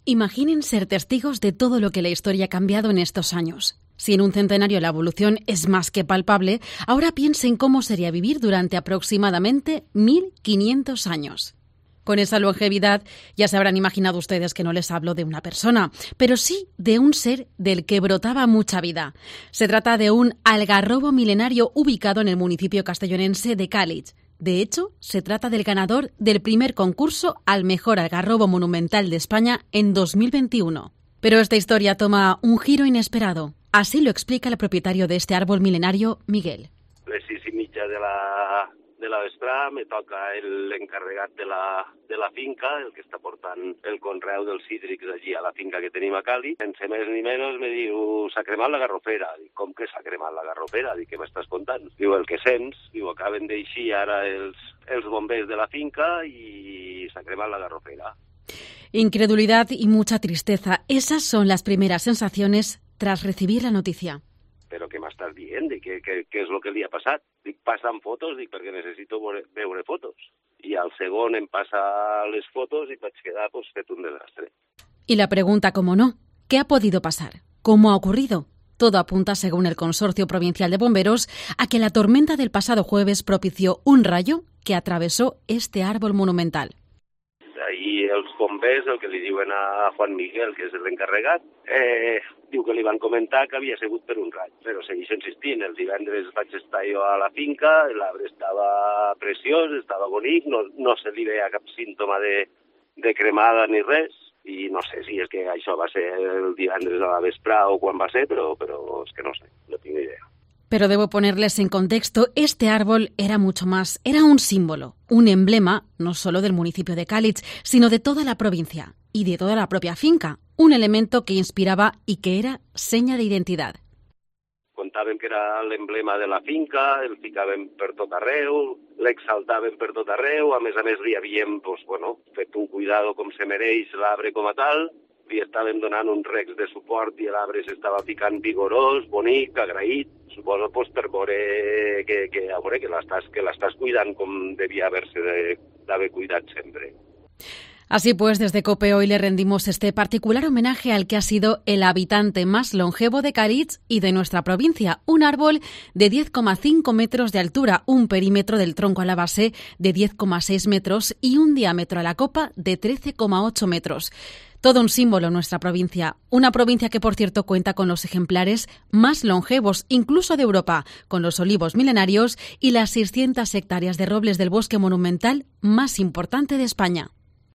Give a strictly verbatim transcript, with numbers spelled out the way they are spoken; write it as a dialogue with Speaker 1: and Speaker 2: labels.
Speaker 1: Imaginen ser testigos de todo lo que la historia ha cambiado en estos años. Si en un centenario la evolución es más que palpable, ahora piensen cómo sería vivir durante aproximadamente mil quinientos años. Con esa longevidad ya se habrán imaginado ustedes que no les hablo de una persona, pero sí de un ser del que brotaba mucha vida. Se trata de un algarrobo milenario ubicado en el municipio castellonense de Càlig. De hecho, se trata del ganador del primer concurso al mejor algarrobo monumental de España en dos mil veintiuno. Pero esta historia toma un giro inesperado. Así lo explica el propietario de este árbol milenario, Miguel.
Speaker 2: Les sis i mitja de la, de la vesprà me toca l'encarregat de la, de la finca, el que està portant el conreu dels cítrics allí a la finca que tenim a Càlig. Sense més ni menys me diu, s'ha cremat la garrofera. Dic, com que s'ha cremat la garrofera? Dic, què m'estàs contant? Diu, el que sents. Diu, acaben d'eixir ara els, els bombers de la finca i s'ha cremat la garrofera.
Speaker 1: Incredulidad y mucha tristeza. Esas son las primeras sensaciones tras recibir la noticia.
Speaker 2: Però què m'estàs dient? Dic, què, què, què és el que li ha passat? Dic, passa'm fotos, dic, perquè necessito veure, veure fotos. I al segon em passa les fotos i vaig quedar pues, fet un desastre.
Speaker 1: Y la pregunta, como no, ¿qué ha podido pasar? ¿Cómo ha ocurrido? Todo apunta, según el Consorcio Provincial de Bomberos, a que la tormenta del pasado jueves propició un rayo que atravesó este árbol monumental.
Speaker 2: Ahí els bombers, el que li diuen a Juan Miguel, que és l'encarregat, eh, diu que li van comentar que havia sigut per un raig, però segueix insistint. El divendres vaig estar jo a la finca, l'arbre estava preciós, estava bonic, no, no se li veia cap símptoma de, de cremada ni res, i no sé si és que això va ser el divendres a la vesprà o quan va ser, però, però és que no sé, no tinc idea.
Speaker 1: Pero debo ponerles en contexto, este árbol era mucho más, era un símbolo, un emblema, no solo del municipio de Càlig, sino de toda la provincia y de toda la propia finca, un elemento que inspiraba y que era seña de identidad.
Speaker 2: Contàvem que era l'emblema de la finca, el ficàvem per tot arreu, l'exaltàvem per tot arreu, a més a més li havíem pues, bueno, fet un cuidado com se mereix l'arbre com a tal, li estàvem donant uns recs de suport i l'arbre s'estava ficant vigorós, bonic, agraït, suposo pues, per veure que, que, a veure, que l'estàs que l'estàs cuidant com devia haver-se d'haver cuidat sempre.
Speaker 1: Así pues, desde COPE hoy le rendimos este particular homenaje al que ha sido el habitante más longevo de Càlig y de nuestra provincia, un árbol de diez coma cinco metros de altura, un perímetro del tronco a la base de diez coma seis metros y un diámetro a la copa de trece coma ocho metros. Todo un símbolo en nuestra provincia, una provincia que, por cierto, cuenta con los ejemplares más longevos, incluso de Europa, con los olivos milenarios y las seiscientas hectáreas de robles del bosque monumental más importante de España.